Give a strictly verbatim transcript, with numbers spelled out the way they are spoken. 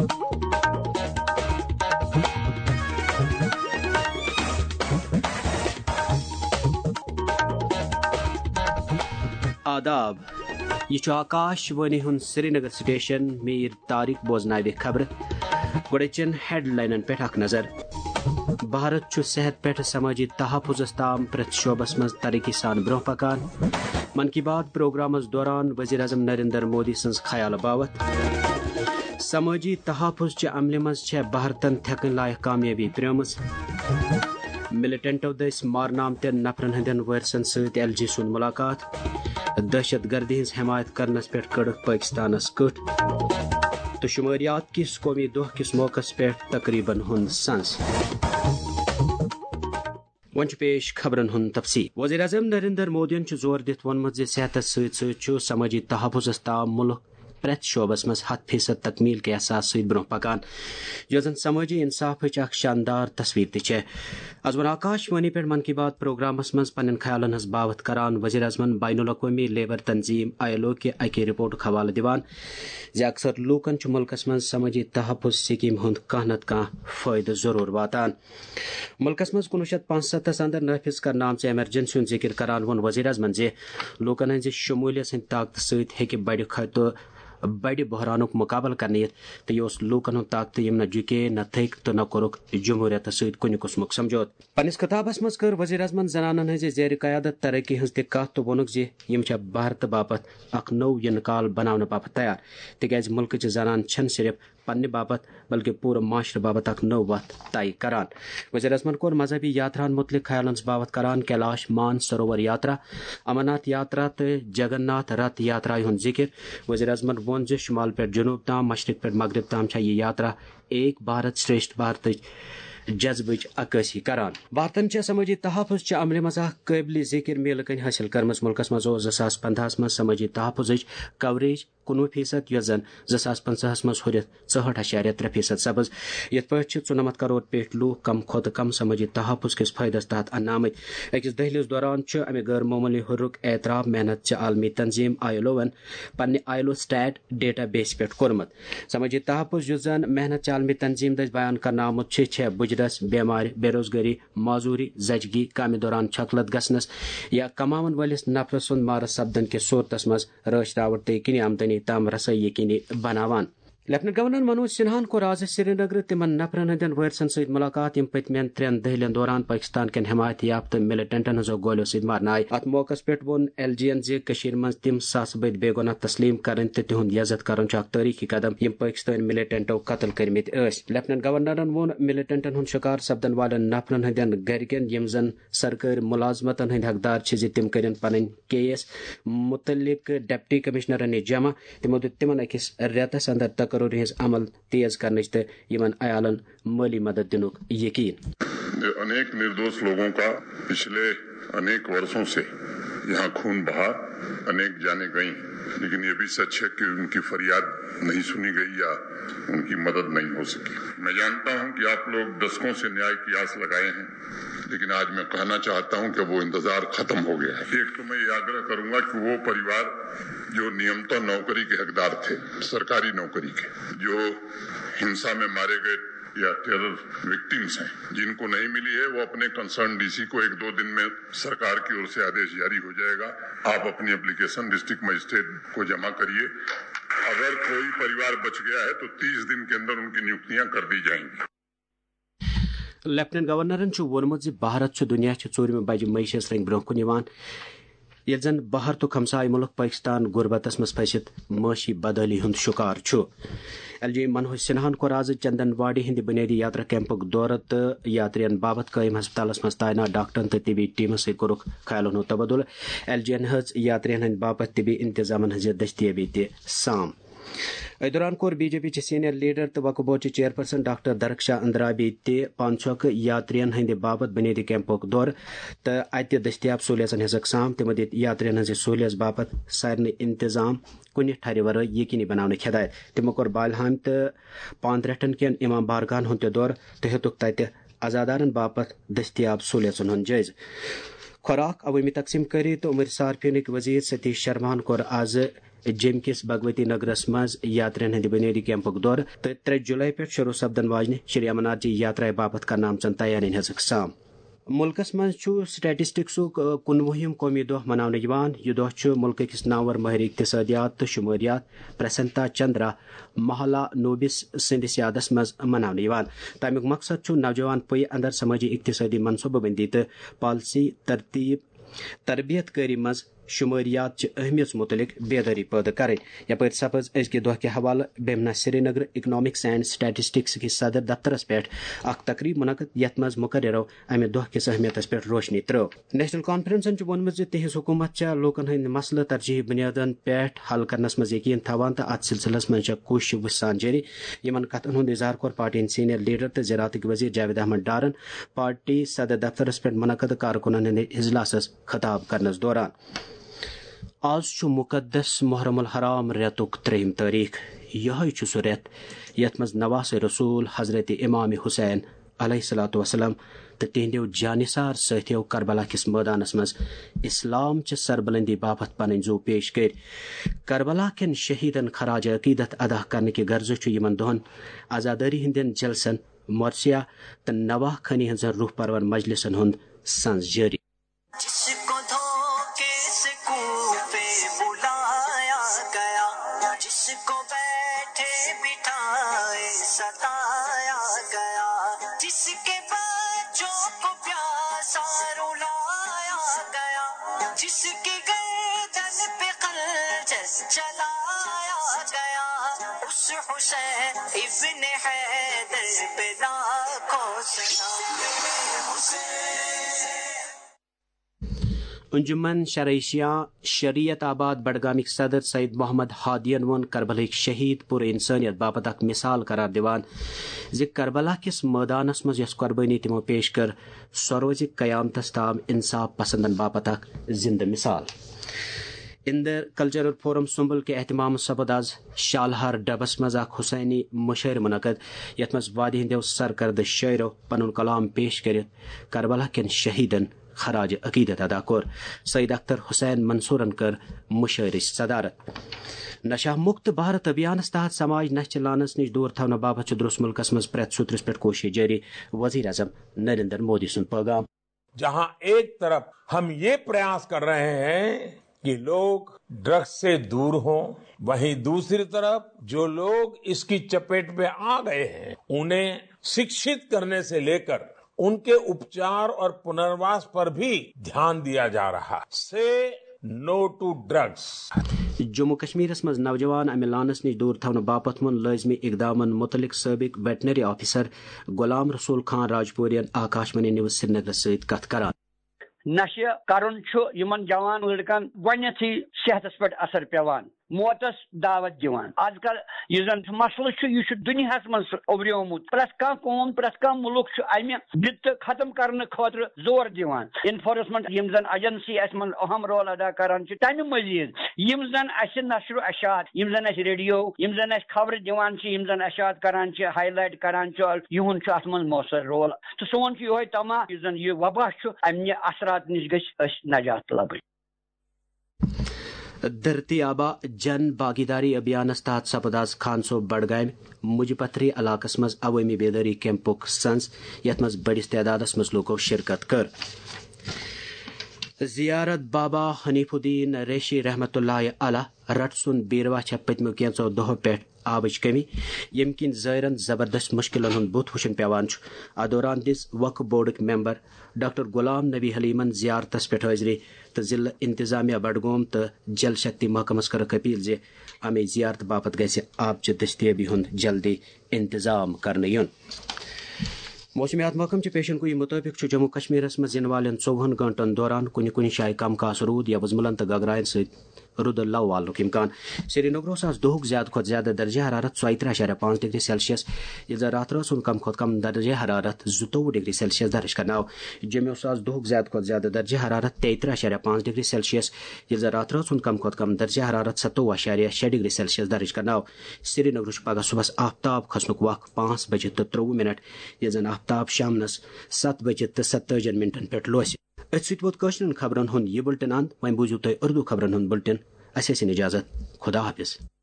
آداب، یہِ چھُ آکاش وانی ہُنٛد سرینگر سٹیشن۔ میٖر طارق بوزناوِ خبرٕ۔ گۄڈٕ چٮ۪ن ہیڈلاینن پٮ۪ٹھ اکھ نظر۔ بھارت چھُ صحت پٮ۪ٹھ سمٲجی تحفظس تام پرٛٮ۪تھ شعبس منٛز ترقی سان برٛونٛہہ پکان۔ من کی بات پروگرامس دوران وزیر اعظم نریندر مودی سٕنٛز خیال باوتھ۔ سمٲجی تحفظ چہِ عملہِ منٛز چھےٚ بھارتن تھٮ۪کٕنۍ لایق کامیٲبی پرٛٲمٕژ۔ ملیٹنٹو دٔسۍ مارنہٕ آمتٮ۪ن نفرن ہٕنٛدٮ۪ن وٲرثن سۭتۍ ایل جی سُنٛد ملاقات۔ دہشت گردی ہٕنٛز حمایت کرنس پٮ۪ٹھ کٔڈٕکھ پٲکستانس کٕٹھ۔ تہٕ شماریات کِس قومی دۄہ کِس موقعس پٮ۪ٹھ تقریبن ہُنٛد سنز۔ وۄنۍ چھُ پیش خبرن ہُنٛد تفصیل۔ وزیر اعظم نریندر مودیَن چھُ زور دِتھ ووٚنمُت زِ صحتس سۭتۍ سۭتۍ چھُ سمٲجی تحفظس تام مُلک پرٛٮ۪تھ شعبس منٛز ہَتھ فیصد تکمیل کہِ احساس سۭتۍ برٛونٛہہ پکان، یۄس زن سمٲجی انصافٕچ اکھ شاندار تصویر تہِ چھےٚ۔ از ووٚن آکاش وانی پٮ۪ٹھ من کی بات پروگرامس منٛز پننٮ۪ن خیالن ہٕنٛز باوتھ کران وزیر اعظمن بین الاقوٲمی لیبر تنظیم آئی ایل او کہِ اکہِ رپورٹُک حوالہٕ دِوان زِ اکثر لوٗکن چھُ مُلکس منٛز سمٲجی تحفظ سکیٖم ہُنٛد کانٛہہ نتہٕ کانٛہہ فٲیدٕ ضروٗر واتان۔ مُلکس منٛز کُنوُہ شیٚتھ پانٛژستَس اندر نافذ کرنہٕ آمژِ ایمرجنسی ہُنٛد ذِکِر کران ووٚن وزیر اعظمن زِ لوٗکن ہٕنٛزِ شموٗلیت سٕنٛدِ طاقتہٕ سۭتۍ ہیٚکہِ بڑِ خطرٕ، بڑِ بحرانُک مُقابلہٕ کرنہٕ یِتھ تہٕ یہِ اوس لوٗکن ہُنٛد طاقتہٕ، یِم نہ جُکے، نہ تھٔکۍ تہٕ نہ کوٚرُکھ جمہوٗریتس سۭتۍ کُنہِ قٕسمُک سمجھوتہٕ۔ پننِس خطابس منٛز کٔر وزیر اعظمن زنانن ہٕنٛزِ زیرِ قیادت ترقی ہٕنٛز تہِ کتھ تہٕ ووٚنُکھ زِ یِم چھےٚ بھارتہٕ باپتھ اکھ نوٚو یِنہٕ کال بناونہٕ باپتھ تیار، تِکیازِ مُلکٕچہِ زنانہٕ چھَنہٕ صرف پننہِ باپتھ بلکہِ پوٗرٕ معاشرٕ باپتھ اکھ نٔو وتھ طے کران۔ وزیر اعظمن کوٚر مذہبی یاتراہن مُتعلق خیالن ہٕنٛز باوتھ کران کیلاش مان سروور یاترا، امرناتھ یاترا تہٕ جگن ناتھ رتھ یاترا ہُنٛد ذِکِر۔ وزیر اعظمن ووٚن زِ شمال پٮ۪ٹھ جنوب تام، مشرق پٮ۪ٹھ مغرب تام چھےٚ یہِ یاترا ایک بھارت شریشٹھ بھارتٕچ جذبٕچ عکٲسی کران۔ بھارتن چھےٚ سمٲجی تحفظ چہِ عملہِ منٛز اکھ قٲبلِ ذِکِر میٖلہٕ کٔنۍ حٲصِل کٔرمٕژ۔ مُلکس منٛز اوس زٕ ساس پندہَس منٛز سمٲجی تحفظٕچ کوریج کُنوُہ فیصد، یۄس زن زٕ ساس پنٛژاہَس منٛز ہُرِتھ ژُہٲٹھ اَشاریہ ترٛےٚ فیصد سپٕز، یتھ پٲٹھۍ چھِ ژُنَمتھ کرور پیٹھۍ لوٗکھ کم کھۄتہٕ کم سمٲجی تحفظ کِس فٲیدس تحت اننہٕ آمٕتۍ۔ أکِس دٔہلِس دوران چھُ امہِ غٲر معموٗلی ہُرُک اعتراف محنت چہِ عالمی تنظیم آئی ایل اوَن پننہِ I L O state data بیسہِ پٮ۪ٹھ کوٚرمُت۔ سمٲجی تحفظ، یُس زن محنت چہِ عالمی تنظیم دٔسۍ بیان کرنہٕ آمُت چھُ، چھےٚ بُجرس، بیمارِ، بے روزگٲری، معذوری، زچگی، کامہِ دوران چھۄکلت گژھنس یا کماون وٲلِس نفرٕ سُنٛد مارٕ سپدن کِس صورتس منٛز رٲچھ راوٹھ تہٕ یقینی آمدنی تام رسٲیی یقینی بناوان۔ لیفٹیننٹ گورنر منوج سنہاہن کوٚر آز سرینگرٕ تِمن نفرن ہٕنٛدٮ۪ن وٲرثن سۭتۍ مُلاقات، یِم پٔتمٮ۪ن ترٛٮ۪ن دٔہلٮ۪ن دوران پٲکستان کٮ۪ن حمایت یافتہٕ ملیٹنٹن ہٕنٛزو گولیو سۭتۍ مارنہٕ آیہِ۔ اتھ موقعس پٮ۪ٹھ ووٚن ایل جی یَن زِ کٔشیٖرِ منٛز تِم ساسہٕ بٔدۍ بے گۄناہ تسلیٖم کرٕنۍ تہٕ تِہُنٛد یزتھ کرُن چھُ اکھ تٲریٖخی قدم، یِم پٲکستٲنۍ ملیٹنٹو قتل کٔرمٕتۍ ٲسۍ۔ لیفٹیننٹ گورنرن ووٚن ملیٹنٹن ہُنٛد شکار سپدن والٮ۪ن نفرن ہٕنٛدٮ۪ن گرِکٮ۪ن، یِم زن سرکٲرۍ مُلازمتن ہٕنٛدۍ حقدار چھِ، زِ تِم کٔرِن پنٕنۍ کیس مُتعلق ڈپٹی کمشنرن نِش جمع۔ تِمو دیُت تِمن أکِس رٮ۪تس اندر تقرری ہٕنٛز عمل تیز کرنٕچ تہٕ یِمن عیالن مٲلی مدد دِنُک یقین۔ अनेक निर्दोष लोगों का पिछले अनेक वर्षों से यहाँ खून बहा, अनेक जानें गईं, लेकिन ये भी सच है कि उनकी फरियाद नहीं सुनी गई या उनकी मदद नहीं हो सकी। मैं जानता हूं कि आप लोग दशकों से न्याय की आस लगाए हैं, लेकिन आज मैं कहना चाहता हूं कि वो इंतजार खत्म हो गया है। एक तो मैं ये आग्रह करूंगा कि वो परिवार जो नियमतः नौकरी के हकदार थे, सरकारी नौकरी के, जो हिंसा में मारे गए या टेरर विक्टिम्स हैं, जिनको नहीं मिली है, वो अपने कंसर्न डीसी को एक दो दिन में सरकार की ओर से आदेश जारी हो जाएगा। आप अपनी एप्लीकेशन डिस्ट्रिक्ट मजिस्ट्रेट को जमा करिए। अगर कोई परिवार बच गया है तो तीस दिन के अंदर उनकी नियुक्तियां कर दी जाएंगी। لیفٹیننٹ گورنرن چھُ ووٚنمُت زِ بھارت چھُ دُنیا چہِ ژوٗرِمہِ بجہِ معیشت رنگہِ برونٛہہ کُن یِوان، ییٚلہِ زن بھارتُک ہمسایہِ مُلک پٲکِستان غُربتس منٛز پھٔسِتھ معٲشی بدحٲلی ہُنٛد شُکار چھُ۔ ایل جی منوج سنہاہن کوٚر آز چندن واڑی ہٕنٛدِ بُنیٲدی یاترا کیمپُک دورٕ تہٕ یاترین باپتھ قٲیِم ہسپتالس منٛز تعینات ڈاکٹرن تہٕ طبی ٹیمس سۭتۍ کوٚرُکھ خیالن ہُنٛد تبادلہٕ۔ ایل جی یَن ہیٚژ یاترین ہٕنٛدِ باپتھ طبی انتظامن ہٕنٛزِ دٔستیٲبی تہِ سام۔ أتھۍ دوران کوٚر بی جے پی چہِ سینئر لیڈر تہٕ وقف بورڈ چہِ چیئرپرسن ڈاکٹر درخشا اندرابی تہِ پانہٕ چھۄکہٕ یاترین ہٕنٛدِ باپتھ بُنیٲدی کیمپُک دورٕ تہٕ اتہِ دٔستیاب سہولیژن ہٕنٛز اقسام۔ تِمو دِتۍ یاترین ہٕنٛزِ سہولیژ باپتھ سارنٕے انتظام کُنہِ ٹھرِ ورٲے یقینی بناونٕچ ہدایت۔ تِمو کوٚر بالہامہِ تہٕ پاندرٹھن کٮ۪ن امام بارگاہن ہُنٛد تہِ دورٕ تہٕ ہیوٚتُکھ تتہِ عزادارن باپتھ دٔستیاب سہولیژن ہُنٛد جٲیزٕ۔ خوراک، عوٲمی تقسیٖم کٲری تہٕ عمر صارفینٕکۍ وزیر ستیش شرماہن کوٚر آز جیٚمۍ کِس بھگوتی نگرس منٛز یاترین ہٕنٛدِ بُنیٲدی کیمپُک دورٕ تہٕ ترٛےٚ جولائی پٮ۪ٹھ شروع سپدن واجنہِ شری امرناتھ جی یاترایہِ باپتھ کرنہٕ آمژن تیارین ہٕنٛز اقسام۔ مُلکس منٛز چھُ سٹیٹسٹکسُک، آ، کُنوُہِم قومی دۄہ مناونہٕ یِوان۔ یہِ دۄہ چھُ مُلکہٕ کِس نامور مٲہِر اقتصادیات تہٕ شُمٲریات پرسنتا چندرا مہالا نوبس سٕنٛدِس یادس منٛز مناونہٕ یِوان۔ تَمیُک مقصد چھُ نوجوان پُیہِ اندر سمٲجی اقتصٲدی منصوٗبہٕ بندی تہٕ پالیسی ترتیب تربیت کٲری منٛز شماریات چہِ اہمیت متعلق بیداری پٲدٕ کرٕنۍ۔ یپٲرۍ سپٕز أزکہِ دۄہ کہِ حوالہٕ بیمنا سرینگر اکنامکس اینڈ سٹیٹسٹکس کِس صدر دفترس پٮ۪ٹھ اکھ تقریب منعقد، یتھ منٛز مقررو امہِ دۄہ کِس اہمیتس پٮ۪ٹھ روشنی ترٲو۔ نیشنل کانفرنسن چھُ ووٚنمُت زِ تِہنٛز حکومت چھےٚ لوٗکن ہٕنٛدۍ مسلہٕ ترجیحی بُنیادن پٮ۪ٹھ حل کرنس منٛز یقین تھاوان تہٕ اتھ سلسلس منٛز چھےٚ کوٗشش وُچھان جٲری۔ یِمن کتھن ہُنٛد اظہار کوٚر پارٹی ہٕنٛدۍ سینئر لیڈر تہٕ زراعتٕکۍ وزیر جاوید احمد ڈارن پارٹی صدر دفترس پٮ۪ٹھ منعقد کارکنن ہٕنٛدِ اجلاسس خطاب کرنس دوران۔ آز چھُ مقدس محرم الحرام رٮ۪تُک ترٛیٚیِم تٲریخ۔ یِہوٚے چھُ سُہ رٮ۪تھ یَتھ منٛز نواسِ رسول حضرت امام حسین علیہ الصلوۃ والسلام تہٕ تِہنٛدیو جانثار سٲتھیو کربلا کِس مٲدانس منٛز اسلام چہِ سربلندی باپتھ پنٕنۍ زُو پیش کٔرۍ۔ کربلا کٮ۪ن شہیدن خراج عقیدت ادا کرنہٕ کہِ غرضہٕ چھُ یِمن دۄہن عزادٲری ہٕنٛدٮ۪ن جلسن، مرثیہ تہٕ نواہ خٲنی ہٕنٛزن روح پرور مجلسن ہُنٛد سنز جٲری۔ جس کو دھوکے سے کوفے بلایا گیا، جس کو بیٹھے بٹھائے ستایا گیا، جس کے بچوں کو پیاسا رلایا گیا، جس کی گردن پہ خنجر چلایا گیا، اس حسین ابن حیدر پہ لاکھوں سلام۔ انجمن شرعیہ شیعہ شریعت آباد بڈگامک صدر سید محمد ہادین ووٚن کربلہٕکۍ شہید پوٗرٕ انسانیت باپتھ اکھ مثال قرار دِوان زِ کربلا کِس مٲدانس منٛز یۄس قربٲنی تِمو پیش کٔر، سۄ روزِ قیامتس تام انصاف پسندن باپتھ اکھ زندٕ مثال۔ اندر کلچرل فورم سُمبل کہِ اہتمام سپد آز شالہار ڈبس منٛز اکھ حسینی مشاعرٕ منعقد، یتھ منٛز وادی ہٕنٛدیو سرکردٕ شٲعرو پنُن کلام پیش کٔرِتھ کربلا کٮ۪ن شہیدن خراج عقیدت ادا کوٚر۔ سید اختر حسین منصورن کٔر مشاعرٕچ صدارت۔ نشہ مکت بھارت ابھیانس تحت سماج نشہ چہ لعنتس نش دور تھاونہٕ باپتھ چھُ درست ملکس منٛز پرٛٮ۪تھ سوٚترس پٮ۪ٹھ کوشش جٲری، وزیر اعظم نریندر مودی سُنٛد پیغام۔ जहां एक तरफ हम ये प्रयास कर रहे हैं कि लोग ड्रग्स से दूर हों, वहीं दूसरी तरफ जो लोग इसकी चपेट में आ गए हैं, उन्हें शिक्षित करने से लेकर उनके उपचार और पुनर्वास पर भी ध्यान दिया जा रहा है। से नो टू ड्रग्स। جموں کشمیرس منٛز نوجوان امہِ لعنس نِش دوٗر تھاونہٕ باپتھ ووٚن لٲزمی اقدامن مُتعلق سٲبق ویٹنری آفیسر غلام رسول خان راجپورین آکاشوانی نیوز سرینگرس سۭتۍ کتھ کران۔ نشہٕ کرُن چھُ یِمن جوان لڑکن گۄڈٕنیتھٕے صحتس پٮ۪ٹھ اثر پٮ۪وان، موتس دعوت دِوان۔ آز کل یُس زن مسلہٕ چھُ، یہِ چھُ دُنیاہس منٛز اُبریومُت۔ پرٛٮ۪تھ کانٛہہ قوم، پرٛٮ۪تھ کانٛہہ مُلک چھُ امہِ بدعت ختم کرنہٕ خٲطرٕ زور دِوان۔ انفورسمنٹ یِم زن ایجنسی اسہِ منٛز اہم رول ادا کران چھِ، تمہِ مزید یِم زن اسہِ نشر و اشاعت، یِم زن اسہِ ریڈیو، یِم زن اسہِ خبرٕ دِوان چھِ، یِم زن اشاعت کران چھِ، ہائی لائٹ کران چھِ، یِہُنٛد چھُ اتھ منٛز مؤثر رول۔ تہٕ سون چھُ یِہوے طمع، یُس زن یہِ وبا چھُ، امہِ اثرات نِش گٔژھۍ أسۍ نجات لبٕنۍ۔ دھرتی آبا جن بھاگیداری ابھیانس تحت سپد آز خانسو بڈگامہِ مجہِ پتھری علاقس منٛز عوٲمی بیدٲری کیمپُک سنز، یتھ منٛز بٔڑِس تعدادس منٛز لوٗکو شرکت کٔر۔ زیارت بابا حنیف الدین ریشی رحمتہ اللہ علیہ رٹ سُنٛد بیروا چھےٚ پٔتمیو کینٛژو دۄہو پٮ۪ٹھ آبٕچ کمی، ییٚمہِ کِنۍ زٲیرن زبردست مُشکِلن ہُنٛد بُتھ وُچھُن پٮ۪وان چھُ۔ اتھ دوران دِژ وقف بورڈٕکۍ ممبر ڈاکٹر غلام نبی حلیمن زیارتس پٮ۪ٹھ حٲضری تہٕ ضلعہٕ انتظامیہ بڈگوم تہٕ جل شکتی محکمس کٔرٕکھ اپیل زِ امہِ زیارتہٕ باپتھ گژھِ آبچہِ دستیٲبی ہُنٛد جلدی انتظام کرنہٕ یُن۔ موسمیات محکمہٕ چہِ پیشن گویی مُطٲبِق چھُ جموں کشمیرس منٛز یِنہٕ والٮ۪ن ژوٚوُہن گٲنٛٹن دوران کُنہِ کُنہِ جایہِ کم کاس روٗد یا وُزملن تہٕ گگراین سۭتۍ رُدٕ لو والنُک امکان۔ سرینگر اوس آز دۄہُک زیادٕ کھۄتہٕ زیادٕ درجہ حرارت ژۄیہِ ترٕٛہ اعشاریہ پانٛژھ ڈگری سیلسیس، ییٚلہِ زن راتھ رٲژ ہُنٛد کم کھۄتہٕ کم درجہ حرارت زٕتووُہ ڈگری سیلسیس درج کرنہٕ آو۔ جوٚمہِ اوس آز دۄہُک زیادٕ کھۄتہٕ زیادٕ درجہ حرارت تیٚیہِ ترٕٛہ اعشاریہ پانٛژھ ڈگری سیلسیس، ییٚلہِ زن راتھ رٲژ ہُنٛد کم کھۄتہٕ کم درجہ حرارت ستووُہ اعشاریہ شےٚ ڈگری سیلسیس درج کرنہٕ آو۔ سرینگرٕ چھُ پگہہ صبحس آفتاب کھسنُک وق پانٛژھ بجہِ تہٕ ترٛۆوُہ منٹ، ییٚلہِ زن آفتاب شامنس ستھ بجہِ تہٕ ستتٲجی منٹن پٮ۪ٹھ لوسہِ۔ أتھۍ سۭتۍ ووت کٲشرٮ۪ن خبرن ہُنٛد یہِ بُلٹن اند۔ وۄنۍ بوٗزِو تُہۍ اردو خبرن ہُنٛد بُلٹن۔ اسہِ ٲسِن اجازت۔ خدا حافظ۔